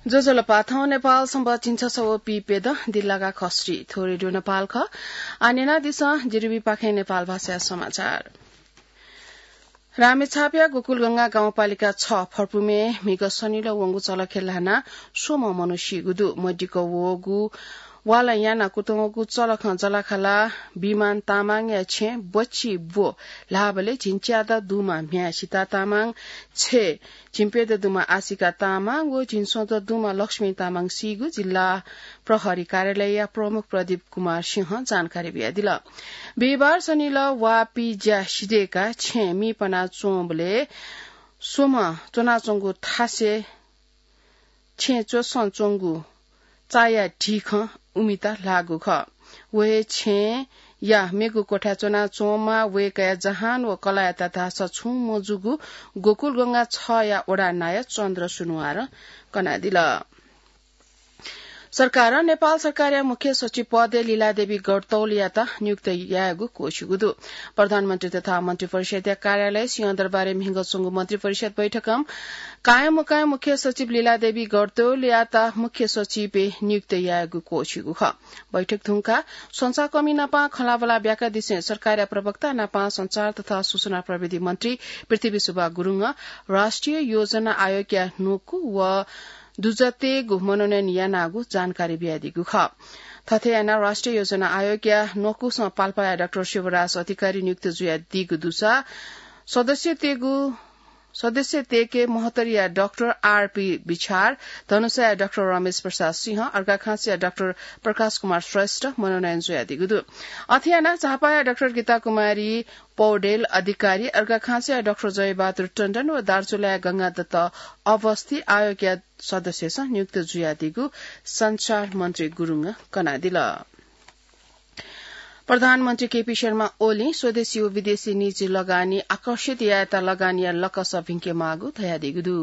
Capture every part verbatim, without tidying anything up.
ज्वजलपा, थौं नेपाल संवत् झिंछसः व पीप्यदँ दिल्लागा खस्री। थ्व रेडियो नेपाल खः। आः न्यनादिसँ, जिरिबी पाखें नेपाल भाषाया समाचार। रामेछापया गोकुलगंगा गाउँपालिका छ फर्पुमे म्हिगः शनिलः वंगु चलखय् ल्हानाः स्वम्ह मनू सीगु दु। मदिक्क वःगु वालं यानाः कुतुंगु चलखं जलाखाला बिमान तामाङया छेँ बच्ची ब्व ल्हाःबलय् झिंच्यादँ दुम्ह म्ह्याय् सिता तामाङ, छय् झिंप्यदँ दुम्ह आशिका तामाङ व झिंस्वदँ दुम्ह लक्ष्मी तामाङ सीगु जिल्ला प्रहरी कार्यालयया प्रमुख प्रदीप कुमार सिंहं जानकारी बियादिल। बिहिबार शनिलः वाःपिं ज्या सिधय्काः छेँ मि पना च्वंबलय् स्वम्ह च्वनाच्वंगु थासय् छेँ च्वसं च्वंगु चाया ढिखं उमिता ल्हाःगु खः। व हे छेँया मेगु क्वथाय् च्वनाच्वंम्ह वय्कःया जहान व कलाःयात धाःसा छुं मजूगु गोकुलगंगा छया वडा नायः चन्द्र सुनुवारं कनादिल। सरकारं नेपाल सरकारया मुख्य सचिव पदय् लीलादेवी गौरतौलयात नियुक्त यायेगु क्वःछिगु दु। प्रधानमन्त्री तथा मन्त्रिपरिषदया कार्यालय सिंहदरबारय् म्हिगः च्वंगु मन्त्रिपरिषद बैठकं कायम मुकायम मुख्य सचिव लीलादेवी गौरतौलयात मुख्य सचिवय् नियुक्त यायेगु क्वःछिगु खः। बैठक धुंकाः संचारकर्मी नाप खँल्हाबल्हा ब्याकादिसें सरकारया प्रवक्ता नाप संचार तथा सूचना प्रविधि मन्त्री पृथ्वी सुब्बा गुरुङं राष्ट्रिय योजना आयोगया न्वकू व दुजःतय्गु मनोनयन यानागु जानकारी बियादीगु खः। थथे यानाः राष्ट्रिय योजना आयोगया न्वकूसं पाल्पाया डाक्टर शिवराज अधिकारी नियुक्त जुयादीगु दुसा सदस्यतय्गु, सदस्यतय्के महोत्तरीया डाक्टर आरपी बिछार, धनुषाया डाक्टर रमेश प्रसाद सिंह, अर्घाखाँचीया डाक्टर प्रकाश कुमार श्रेष्ठ मनोनयन जुयादीगु दु। अथे यानाः झापाया डाक्टर गीता कुमारी पौडेल अधिकारी, अर्घाखाँचीया डाक्टर जयबहादुर टण्डन व दार्चुलाया गंगादत्त अवस्थी आयोगया सदस्यसं नियुक्त जुयादीगु संचार मन्त्री गुरुङं कनादिल। प्रधानमन्त्री केपी शर्मा ओलीं स्वदेशी व विदेशी निजी लगानी आकर्षित यायेत लगानीया लकस भिंकेमाःगु धयादीगु दु।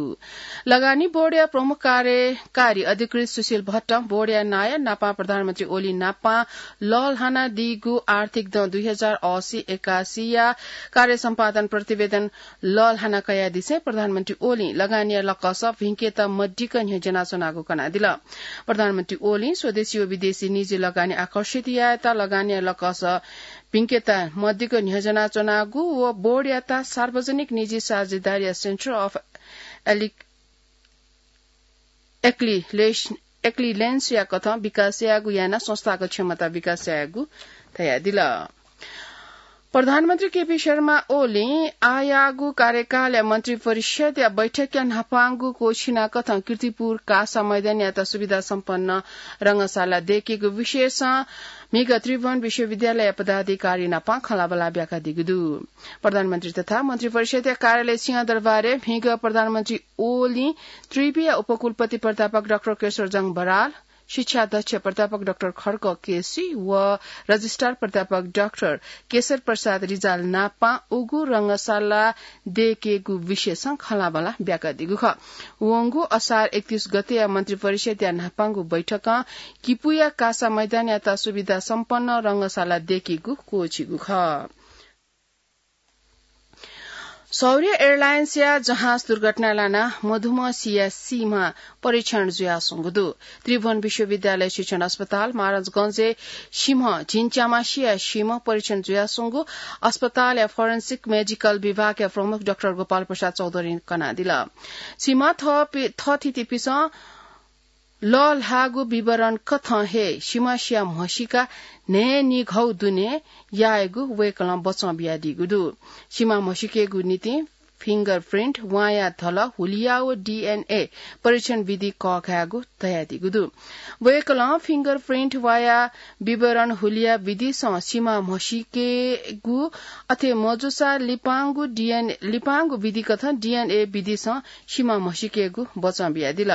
लगानी बोर्डया प्रमुख कार्यकारी अधिकृत सुशील भट्टं बोर्डया नायः नापं प्रधानमन्त्री ओली नापं लःल्हानादीगु आर्थिक दँ दुई हजार असी एकासीया कार्य सम्पादन प्रतिवेदन लःल्हाना कयादिसें प्रधानमन्त्री ओलीं लगानीया लकस भिंकेत मदिक्क न्ह्यज्यानाच्वनागु कनादिल। प्रधानमन्त्री ओलीं स्वदेशी व विदेशी निजी लगानी आकर्षित यायेत लगानीया लकस भिंकेत मदिक्क न्ह्यज्यानाच्वनागु व बोर्डयात सार्वजनिक निजी साझेदारीया Centre of Elec-, Excellence, Excellenceया कथं विकास यायेगु यानाः संस्थागत क्षमता विकास यायेगु धयादिल। प्रधानमन्त्री केपी शर्मा ओलीं आःयाःगु कार्यकालया मन्त्रिपरिषदया बैठकया न्हापांगु क्वःछिना कथं कीर्तिपुर कासा मैदानयात सुविधा सम्पन्न रंगशाला दयेकेगु विषयसं म्हिगः त्रिभुवन विश्वविद्यालय पदाधिकारी नाप खँल्हाबल्हा ब्याकादीगु दु। प्रधानमन्त्री तथा मन्त्रिपरिषदया कार्यालय सिंहदरबारय् म्हिगः प्रधानमन्त्री ओलीं त्रिविया उपकुलपति प्राध्यापक डाक्टर केशरजंग बराल, शिक्षा अध्यक्ष प्राध्यापक डाक्टर खड्ग केसी व रजिस्ट्रार प्राध्यापक डाक्टर केशर प्रसाद रिजाल नाप उगु रंगशाला दयेकेगु विषयसं खँल्हाबल्हा ब्याकादीगु खः। वंगु असार एकतीस गतेया मन्त्रिपरिषदया न्हापांगु बैठकं किपुया कासा मैदानयात सुविधा सम्पन्न रंगशाला दयेकेगु क्वःछिगु खः। शौर्य एयरलाइन्सया जहाज दुर्घटना लानाः मधुम्ह सिया सीम्ह परीक्षण जुयाच्वंगु दु। त्रिभुवन विश्वविद्यालय शिक्षण अस्पताल महाराजगंजय् सीम्ह झिंच्याम्ह सिया सीम्ह परीक्षण जुयाच्वंगु अस्पतालया फोरेन्सिक मेडिकल विभागया प्रमुख डाक्टर गोपाल प्रसाद चौधरीं कनादिल। सीम्ह थःपि-, थःथितिपिसं लःल्हाःगु विवरण कथं हे सीम्ह सिया म्हसीका न्हय्‌निघौ दुने यायेगु वय्‌कलं बचं बियादीगु दु। सीम्ह म्हसीकेगु निंतिं फिंगरप्रिन्ट, वाँया धलः, हुलिया व डीएनए परीक्षण विधि कःघायेगु धयादीगु दु। वय्‌कलं फिंगरप्रिन्ट, वाँया विवरण, हुलिया विधिसं सीम्ह म्हसीकेगु, अथे मजूसा लिपांगु डीएनए, लिपांगु विधि कथं डीएनए विधिसं सीम्ह म्हसीकेगु बचं बियादिल।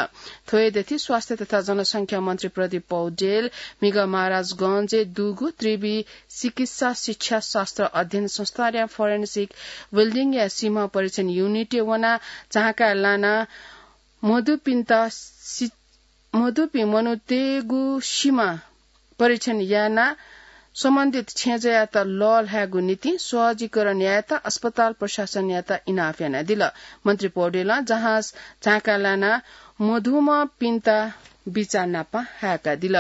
थ्व हे दथुइ स्वास्थ्य तथा जनसंख्या मन्त्री प्रदीप पौडेल म्हिगः महाराजगंजय् दुगु त्रिवि चिकित्सा शिक्षा शास्त्र अध्ययन संस्थानया फोरेन्सिक बिल्डिङया सीम्ह परीक्षण युनिटय् वनाः झांकाय् लानाः मदुपिन्त सि-, मदुपिं मनूतय्‌गु सीम्ह परीक्षण यानाः सम्बन्धित छेँजःयात लःल्हायेगु निंतिं सहजीकरण यायेत अस्पताल प्रशासनयात इनाप यानादिल। मन्त्री पौडेलं जहाज झाँका लानाः मधुमःपिन्त बिचाः नाप हाय्कादिल।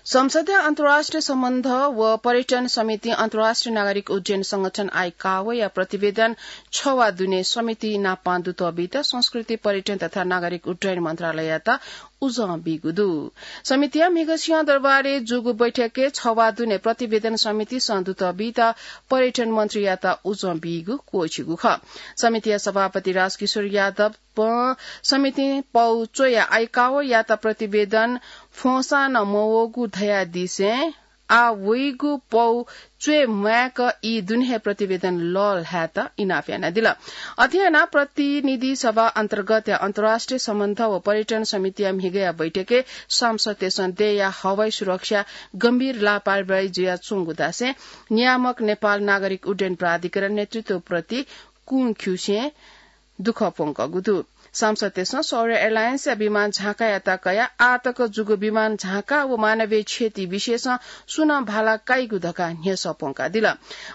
संसदया अन्तर्राष्ट्रिय सम्बन्ध व पर्यटन समितिं अन्तर्राष्ट्रिय नागरिक उड्डयन संगठन आइकाओया प्रतिवेदन छवा दुने समिति नाप दुतः बीत संस्कृति, पर्यटन तथा नागरिक उड्डयन मन्त्रालययात उजं बीगु दु। समितिया म्हिगः सिंहदरबारय् जूगु बैठकय् छवा दुने प्रतिवेदन समितिसं दुतः बीत पर्यटन मन्त्रीयात उजं बीगु क्वःछिगु खः। समितिया सभापति राजकिशोर यादव समितिं पौ च्वयाः आइकाओयात प्रतिवेदन फ्वंसां नं मवःगु धयादिसें आः वइगु पौ च्वये म्वायेक ई दुने हे प्रतिवेदन लःल्हायेत इनाप यानादिल। अथे यानाः प्रतिनिधि सभा अन्तर्गतया अन्तर्राष्ट्रिय सम्बन्ध व पर्यटन समितिया म्हिगःया बैठकय् सांसदतय्सं देय्या हवाई सुरक्षा गम्भीर लापरवाही जुयाच्वंगु धासें नियामक नेपाल नागरिक उड्डयन प्राधिकरण नेतृत्वप्रति कुंख्युसें दुःख प्वंकःगु दु। सांसदतय्सं सौर्य एयरलाइन्सया विमान झाँकायात कयाः आःतक जूगु विमान झाँका व मानवीय क्षति विषयसं सुं नं भाला काइगु धकाः न्ह्यसः प्वंकादिल।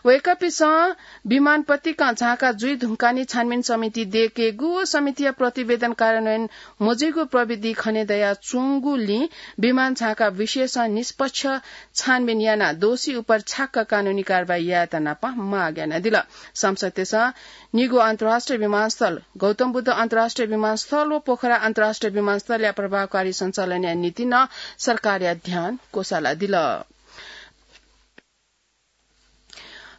वय्कःपिन्सं विमान पतिकं झाँका जुइ धुंकाः नि छानबिन समिति दय्केगु व समितिया प्रतिवेदन कार्यान्वयन मजुइगु प्रविधि खने दयाच्वंगुलिं विमान झाँका विषयसं निष्पक्ष छानबिन यानाः दोषी उपर छ्याक्क कानूनी कारवाही यायेत नाप माग यानादिल। सांसदतय्सं निगू अन्तर्राष्ट्रिय विमानस्थल, गौतम बुद्ध अन्तर्राष्ट्रिय विमानस्थल व पोखरा अन्तर्राष्ट्रिय विमानस्थलया प्रभावकारी सञ्चालनया निंतिं नं सरकारया ध्यान क्वसालादिल।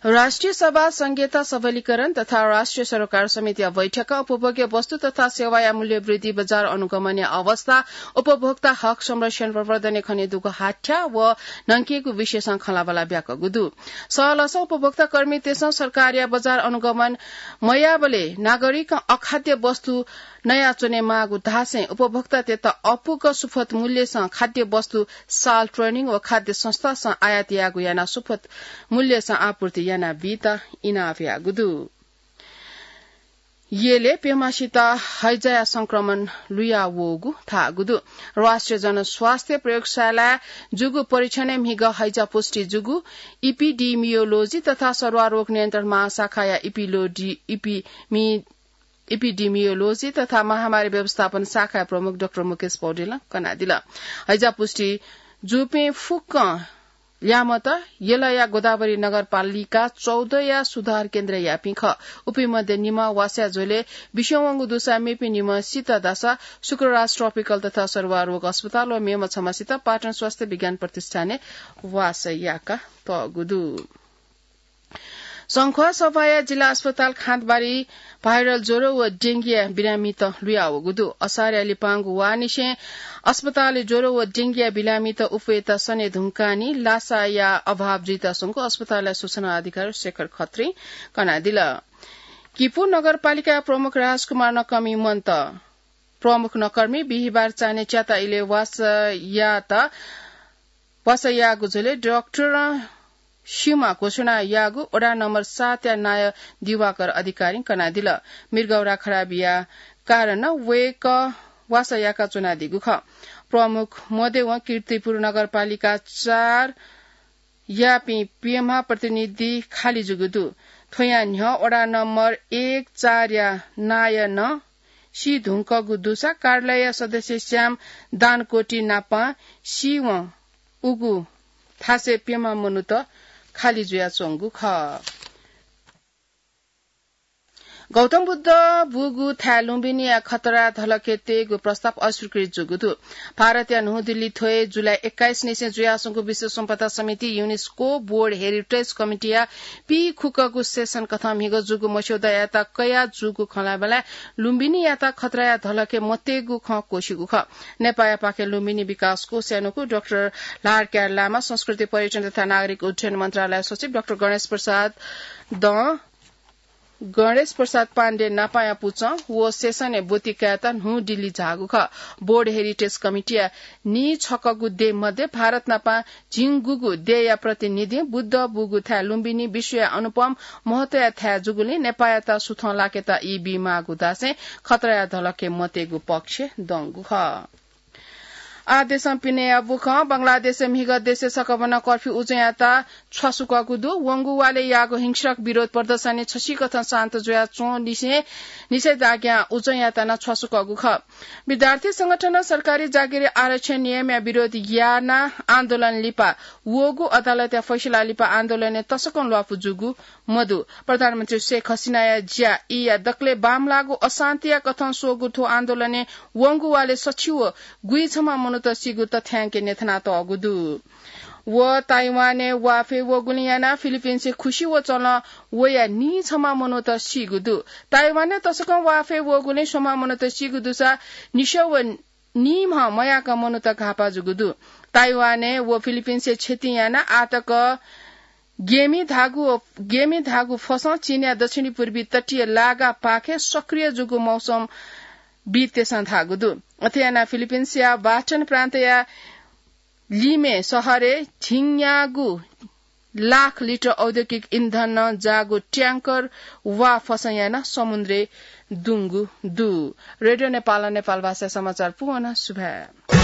राष्ट्रिय सभा संघीयता सबलीकरण तथा राष्ट्रिय सरोकार समितिया बैठकं उपभोग्य वस्तु तथा सेवाया मूल्य वृद्धि, बजार अनुगमनया अवस्था, उपभोक्ता हक संरक्षण प्रवर्धनय् खनेदुगु हाथ्याः व न्हंकेगु विषयसं खँल्हाबल्हा ब्याकूगु दु। सहलसं उपभोक्ता कर्मीतय्सं सरकारया बजार अनुगमन मयाःबलय् नागरिकं अखाद्य वस्तु नयाच्वनेमाःगु धासें उपभोक्तातय्त अपुक सुपथ मूल्यसं खाद्य वस्तु साल ट्रेडिङ व खाद्य संस्थासं आयात याःगु यानाः सुपथ मूल्यसं आपूर्ति यानाबीत इनाप याःगु दु। यलय् प्यम्हसित हैजाया संक्रमण लुयावःगु धाःगु दु। राष्ट्रिय जनस्वास्थ्य प्रयोगशालाय् जूगु परीक्षणय् म्हिगः हैजा पुष्टि जूगु इपिडिमियोलोजी तथा सरुवा रोग नियन्त्रण महाशाखाया इपिलोडी-, इपिमि-, इपिडिमियोलोजी तथा महामारी व्यवस्थापन शाखाया प्रमुख डाक्टर मुकेश पौडेलं कनादिल। हैजा पुष्टि जूपिं फुक्कं ल्याय्म्हत यलया गोदावरी नगरपालिका चौधया सुधार केन्द्रयापिं खः। उपिं मध्ये निम्ह वासया झ्वलय् बिस्युं वंगु दुसा मेपिं निम्ह सित धाःसा शुक्रराज ट्रपिकल तथा सरुवा रोग अस्पताल व मेम्ह छम्हसित पाटन स्वास्थ्य विज्ञान प्रतिष्ठानय् वासः याकातःगु दु। संख्वा सफाया जिल्ला अस्पताल खाँतबारी भाइरल ज्वरो व डेंगीया बिरामीत लुयावःगु दु। असारया लिपांगु वाःनिसें अस्पतालय् ज्वरो व डेंगीया बिरामीत उफेत सने धुंकाः नि लासाया अभाव जुइत स्वंगु अस्पतालया सूचना अधिकारी शेखर खत्रीं कनादिल। किपू नगरपालिका प्रमुख राजकुमार नकर्मी मन्त। प्रमुख नकर्मी बिहिबार चान्हय् च्याता इलय् वासः यात वासः याःगु झ्वलय् डाक्टरं स्यूमा घोषणा याःगु वडा नम्बर सातया नायः दिवाकर अधिकारीं कनादिल। मृगौरा खराबया कारणं वय्कः वासः याका च्वनादीगु खः। प्रमुख मध्यवं कीर्तिपुर नगरपालिका चार यापिं प्यम्ह प्रतिनिधि खालि जूगु दु। थ्वयां न्ह्यः वडा नम्बर एक चारया नायः नं सी धुंकूगु दुसा कार्यालय सदस्य श्याम दानकोटी नाप सीवं उगु थासय् प्यम्ह मनूत खालि जुयाच्वंगु खः। गौतम बुद्ध बूगु थाय् लुम्बिनीया खतरा धलखय् तयेगु प्रस्ताव अस्वीकृत जूगु दु। भारतया न्हू दिल्ली थ्वय् जुलाई एक्काइस निसें जुयाच्वंगु विश्व सम्पदा समिति, युनेस्को, बोर्ड हेरिटेज कमिटीया पीखुकःगु सेसन कथं म्हिगः जूगु मस्यौदायात कया जूगु खँल्हाबल्हाय् लुम्बिनीयात खतराया धलखय् मतयेगु खँ क्वःछिगु खः। नेपाःयापाखें लुम्बिनी विकास कोषया न्वकू डाक्टर लारक्यार लामा, संस्कृति, पर्यटन तथा नागरिक उड्डयन मन्त्रालय सचिव डाक्टर गणेश प्रसाद दं गणेश प्रसाद पाण्डे नापाया पुचः व सेसनय् ब्वति कायेत न्हू दिल्ली झाःगु खः। बोर्ड हेरिटेज कमिटीया नीछकःगु देय् मध्ये भारत नापं झिंगुगु देय्या प्रतिनिधिं बुद्ध बूगु थाय् लुम्बिनी विश्वया अनुपम महत्वया थाय् जूगुलिं नेपाःयात सुथं लाकेत ई बीमाःगु धासें खतराया धलखय् मतयेगु पक्षय् दंगु खः। आ देशं पिनेया बुखं बंगलादेशं म्हिगः देशय् सकभनं कर्फ्यू उजं यात छ्वासुकःगु दु। वंगु वालय् याःगु हिंस्रक विरोध प्रदर्शनय् छसिकथं शान्त जुयाच्वं लिसें निषेधाज्ञा उजं यात नं छ्वासुकःगु खः। विद्यार्थी संगठनं सरकारी जागिरय् आरक्षण नियमया विरोध यानाः आन्दोलन लिपा वःगु अदालतया फैसला लिपा आन्दोलनय् तसकं ल्वापु जूगु मदु। प्रधानमन्त्री शेख हसिनाया ज्या ईया दकलय् बांमलाःगु अशान्तिया कथं स्वःगु थ्व आन्दोलनय् वंगु वालय् सछि व गुइँ छम्ह मनूत सीगु तथ्यांकय् न्ह्यथनातःगु दु। व ताइवानय् वाफय् वःगुलिं यानाः फिलिपिन्सय् खुसि व चलं वया नीछम्ह मनूत सीगु दु। ताइवानय् तसकं वाफय् वःगुलिं स्वम्ह मनूत सीगु दुसा निसः व नीम्ह मयाक मनूत घाःपाः जूगु दु। ताइवानय् व फिलिपिन्सय् क्षति यानाः आःतक गेमी धाःगु, गेमी धाःगु फसं चीनया दक्षिणी पूर्वी तटीय लागा पाखे सक्रिय जूगु मौसमविदतय्सं धाःगु दु। अथे यानाः फिलिपिन्सया बास्टन प्रान्तया लिमे शहरय् झिंन्यागू लाख लिटर औद्योगिक इन्धनं जाःगु ट्याङ्कर वा फसं यानाः समुद्रय् दुंगु दु। रेडियो नेपालं नेपाल भाषा समाचार पूवना। सुभाय्।